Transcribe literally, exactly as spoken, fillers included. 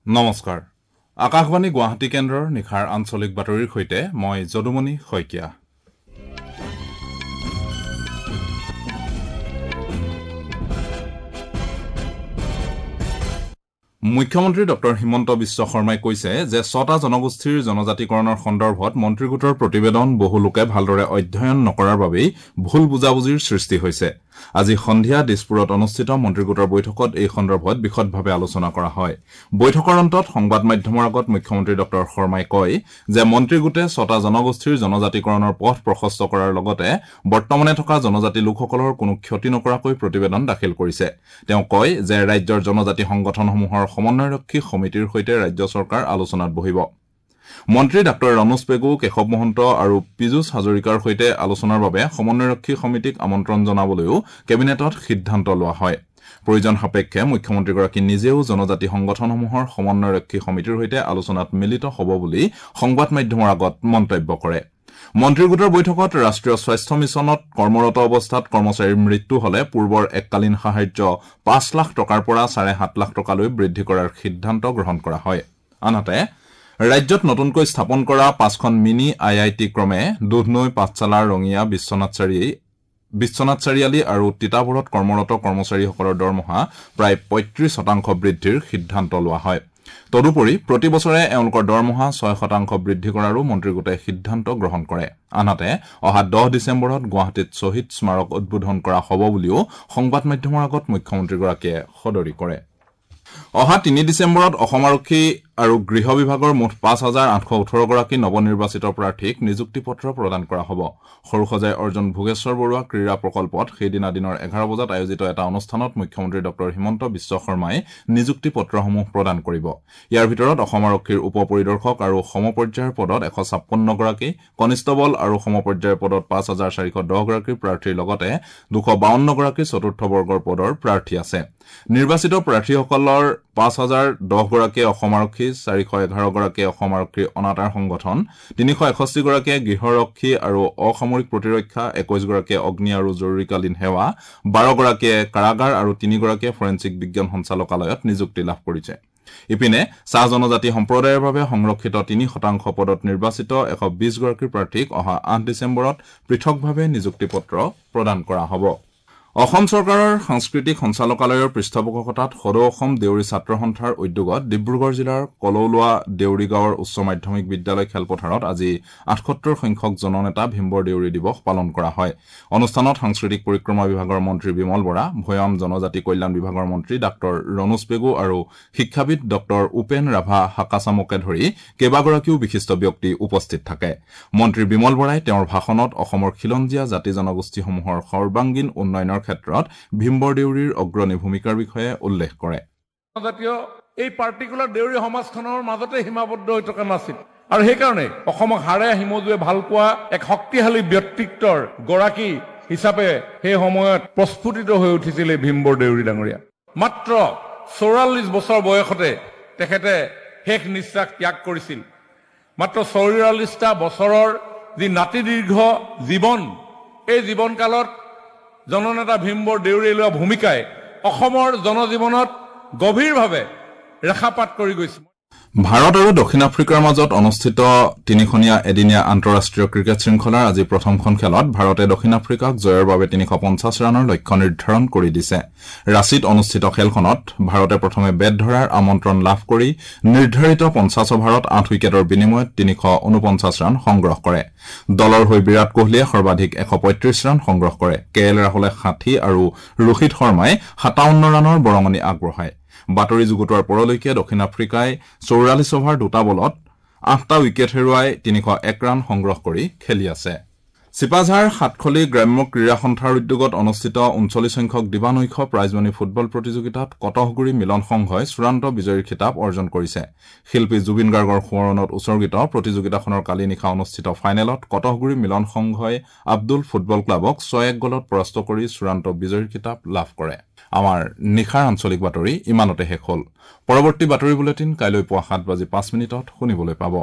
নমস্কাৰ, আকাশবাণী গুৱাহাটী কেন্দ্ৰৰ নিশাৰ আঞ্চলিক বাতৰিৰ সৈতে মই যদুমণি শইকীয়া। মুখ্যমন্ত্ৰী ডক্টৰ হিমন্ত বিশ্ব শৰ্মাই কৈছে যে ছটা জনগোষ্ঠীৰ জনজাতিকৰণৰ সন্দৰ্ভত মন্ত্ৰীগোটৰ প্ৰতিবেদন বহু লোকে ভালদৰে অধ্যয়ন নকৰাৰ বাবেই ভুল বুজাবুজিৰ সৃষ্টি হৈছে। আজি সন্ধিয়া দিছপুৰত অনুষ্ঠিত মন্ত্ৰীগোটৰ বৈঠকত এই সন্দৰ্ভত বিশদভাৱে আলোচনা কৰা হয়। বৈঠকৰ অন্তত সংবাদ মাধ্যমৰ আগত মুখ্যমন্ত্ৰী ডক্টৰ শৰ্মাই কয় যে মন্ত্ৰীগোটে ছটা জনগোষ্ঠীৰ জনজাতিকৰণৰ পথ প্ৰশস্ত কৰাৰ লগতে বৰ্তমানে থকা জনজাতি লোকসকলৰ কোনো ক্ষতি নকৰাকৈ প্ৰতিবেদন দাখিল কৰিছে। তেওঁ কয় যে ৰাজ্যৰ জনজাতি সংগঠনসমূহৰ সমন্বয়ৰক্ষী সমিতিৰ সৈতে ৰাজ্য চৰকাৰ আলোচনাত বহিব। মন্ত্ৰী ডাঃ ৰণোজ পেগু, কেশৱ মহন্ত আৰু পীযুষ হাজৰিকাৰ সৈতে আলোচনাৰ বাবে সমন্বয়ৰক্ষী সমিতিক আমন্ত্ৰণ জনাবলৈও কেবিনেটত সিদ্ধান্ত লোৱা হয়। প্ৰয়োজন সাপেক্ষে মুখ্যমন্ত্ৰীগৰাকী নিজেও জনজাতি সংগঠনসমূহৰ সমন্বয়ৰক্ষী সমিতিৰ সৈতে আলোচনাত মিলিত হ'ব বুলি সংবাদ মাধ্যমৰ আগত মন্তব্য কৰে। মন্ত্ৰীগোটৰ বৈঠকত ৰাষ্ট্ৰীয় স্বাস্থ্য মিছনত কৰ্মৰত অৱস্থাত কৰ্মচাৰীৰ মৃত্যু হলে পূৰ্বৰ এককালীন সাহায্য পাঁচ লাখ টকাৰ পৰা চাৰে সাত লাখ টকালৈ বৃদ্ধি কৰাৰ সিদ্ধান্ত গ্ৰহণ কৰা হয়। আনহাতে ৰাজ্যত নতুনকৈ স্থাপন কৰা পাঁচখন মিনি আই I T ক্ৰমে দুধনৈ, পাঠশালা, ৰঙিয়া, বিশ্বনাথ বিশ্বনাথ চাৰিআলি আৰু তিতাবৰত কৰ্মৰত কৰ্মচাৰীসকলৰ দৰমহা প্ৰায় পঁয়ত্ৰিশ শতাংশ বৃদ্ধিৰ সিদ্ধান্ত লোৱা হয়। তদুপৰি প্ৰতি বছৰে এওঁলোকৰ দৰমহা ছয় শতাংশ বৃদ্ধি কৰাৰো মন্ত্ৰীগোটে সিদ্ধান্ত গ্ৰহণ কৰে। আনহাতে অহা দহ ডিচেম্বৰত গুৱাহাটীত শ্বহীদ স্মাৰক উদ্বোধন কৰা হ'ব বুলিও সংবাদ মাধ্যমৰ আগত মুখ্যমন্ত্ৰীগৰাকীয়ে সদৰি কৰে। অহা তিনি ডিচেম্বৰত অসম আৰক্ষী আৰু গৃহ বিভাগৰ মুঠ পাঁচ হাজাৰ আঠশ ওঠৰগৰাকী নৱনিৰ্বাচিত প্ৰাৰ্থীক নিযুক্তি পত্ৰ প্ৰদান কৰা হ'ব। সৰুসজাই অৰ্জুন ভোগেশ্বৰ বৰুৱা ক্ৰীড়া প্ৰকল্পত সেইদিনা দিনৰ এঘাৰ বজাত আয়োজিত এটা অনুষ্ঠানত মুখ্যমন্ত্ৰী ডক্টৰ হিমন্ত বিশ্ব শৰ্মাই নিযুক্তি পত্ৰসমূহ প্ৰদান কৰিব। ইয়াৰ ভিতৰত অসম আৰক্ষীৰ উপ পৰিদৰ্শক আৰু সমপৰ্যায়ৰ পদত এশ ছাপন্নগৰাকী, কনিষ্টবল আৰু সমপৰ্যায়ৰ পদত পাঁচ হাজাৰ চাৰিশ দহগৰাকী প্ৰাৰ্থীৰ লগতে দুশ বাৱন্নগৰাকী চতুৰ্থ বৰ্গৰ পদৰ প্ৰাৰ্থী আছে। নিৰ্বাচিত প্ৰাৰ্থীসকলৰ পাঁচ হাজাৰ দহগৰাকীয়ে অসম আৰক্ষী, চাৰিশ এঘাৰগৰাকীয়ে অসম আৰক্ষীৰ অনাতাঁৰ সংগঠন, তিনিশ এষষ্ঠিগৰাকীয়ে গৃহৰক্ষী আৰু অসামৰিক প্ৰতিৰক্ষা, একৈশগৰাকীয়ে অগ্নি আৰু জৰুৰীকালীন সেৱা, বাৰগৰাকীয়ে কাৰাগাৰ আৰু তিনিগৰাকীয়ে ফৰেনছিক বিজ্ঞান সঞ্চালকালয়ত নিযুক্তি লাভ কৰিছে। ইপিনে চাহ জনজাতি সম্প্ৰদায়ৰ বাবে সংৰক্ষিত তিনি শতাংশ পদত নিৰ্বাচিত এশ বিশগৰাকী প্ৰাৰ্থীক অহা আঠ ডিচেম্বৰত পৃথকভাৱে নিযুক্তি পত্ৰ প্ৰদান কৰা হ'ব। অসম চৰকাৰৰ সাংস্কৃতিক সঞ্চালকালয়ৰ পৃষ্ঠপোষকতাত সদৌ অসম দেউৰী ছাত্ৰ সন্থাৰ উদ্যোগত ডিব্ৰুগড় জিলাৰ কলৌলোৱা দেউৰী গাঁৱৰ উচ্চ মাধ্যমিক বিদ্যালয় খেলপথাৰত আজি আঠসত্তৰ সংখ্যক জননেতা ভীমবৰ দেউৰী দিৱস পালন কৰা হয়। অনুষ্ঠানত সাংস্কৃতিক পৰিক্ৰমা বিভাগৰ মন্ত্ৰী বিমল বৰা, ভৈয়াম জনজাতি কল্যাণ বিভাগৰ মন্ত্ৰী ডাঃ ৰণোজ পেগু আৰু শিক্ষাবিদ ডঃ উপেন ৰাভা হাকাচামকে ধৰি কেইবাগৰাকীও বিশিষ্ট ব্যক্তি উপস্থিত থাকে। মন্ত্ৰী বিমল বৰাই তেওঁৰ ভাষণত অসমৰ খিলঞ্জীয়া জাতি জনগোষ্ঠীসমূহৰ সৰ্বাংগীন উন্নয়নৰ ক্ষেত্ৰত ভীমবৰ দেউৰীৰ অগ্ৰণী ভূমিকাৰ বিষয়ে উল্লেখ কৰে। জাতীয় এই পাৰ্টিকুলাৰ দেউৰী সমাজখনৰ মাজতে সীমাবদ্ধ হৈ থকা নাছিল আৰু সেইকাৰণে অসমক হাড়ে হিমজুৱে ভাল পোৱা এক শক্তিশালী ব্যক্তিত্বৰ গৰাকী হিচাপে সেই সময়ত প্ৰস্ফুটিত হৈ উঠিছিল এই ভীমবৰ দেউৰী ডাঙৰীয়া। মাত্ৰ চৌৰাল্লিছ বছৰ বয়সতে তেখেতে শেষ নিশ্বাস ত্যাগ কৰিছিল। মাত্ৰ চৌৰাল্লিছটা বছৰৰ যি নাতিদীৰ্ঘ জীৱন, এই জীৱনকালত জননেতা ভীমবৰ দেউৰীয়ে লোৱা ভূমিকাই অসমৰ জনজীৱনত গভীৰভাৱে ৰেখাপাত কৰি গৈছে। ভাৰত আৰু দক্ষিণ আফ্ৰিকাৰ মাজত অনুষ্ঠিত তিনিখনীয়া এদিনীয়া আন্তঃৰাষ্ট্ৰীয় ক্ৰিকেট শৃংখলাৰ আজি প্ৰথমখন খেলত ভাৰতে দক্ষিণ আফ্ৰিকাক জয়ৰ বাবে তিনিশ পঞ্চাছ ৰানৰ লক্ষ্য নিৰ্ধাৰণ কৰি দিছে। ৰাঁচীত অনুষ্ঠিত খেলখনত ভাৰতে প্ৰথমে বেট ধৰাৰ আমন্ত্ৰণ লাভ কৰি নিৰ্ধাৰিত পঞ্চাছ অভাৰত আঠ উইকেটৰ বিনিময়ত তিনিশ ঊনপঞ্চাছ ৰান সংগ্ৰহ কৰে। দলৰ হৈ বিৰাট কোহলীয়ে সৰ্বাধিক এশ পঁয়ত্ৰিশ ৰান সংগ্ৰহ কৰে। কে এল ৰাহুলে ষাঠি আৰু ৰোহিত শৰ্মাই সাতাৱন্ন ৰানৰ বৰঙণি আগবঢ়ায়। বাতৰি যুগুতোৱাৰ পৰলৈকে দক্ষিণ আফ্ৰিকাই চৌৰাল্লিছ অভাৰ দুটা বলত আঠটা উইকেট হেৰুৱাই তিনিশ এক ৰান সংগ্ৰহ কৰি খেলি আছে। চিপাঝাৰ সাতখলি গ্ৰাম্য ক্ৰীড়া সন্থাৰ উদ্যোগত অনুষ্ঠিত ঊনচল্লিছ সংখ্যক দিবানৈশ প্ৰাইজমানি ফুটবল প্ৰতিযোগিতাত কটহগুৰি মিলন সংঘই চূড়ান্ত বিজয়ীৰ খিতাপ অৰ্জন কৰিছে। শিল্পী জুবিন গাৰ্গৰ সোঁৱৰণত উৎসৰ্গিত প্ৰতিযোগিতাখনৰ কালি নিশা অনুষ্ঠিত ফাইনেলত কটহগুৰি মিলন সংঘই আব্দুল ফুটবল ক্লাবক ছয় এক গ'লত পৰাস্ত কৰি চূড়ান্ত বিজয়ীৰ খিতাপ লাভ কৰে। আমাৰ নিশাৰ আঞ্চলিক বাতৰি ইমানতে শেষ হ'ল। পৰৱৰ্তী বাতৰি বুলেটিন কাইলৈ পুৱা সাত বাজি পাঁচ মিনিটত শুনিবলৈ পাব।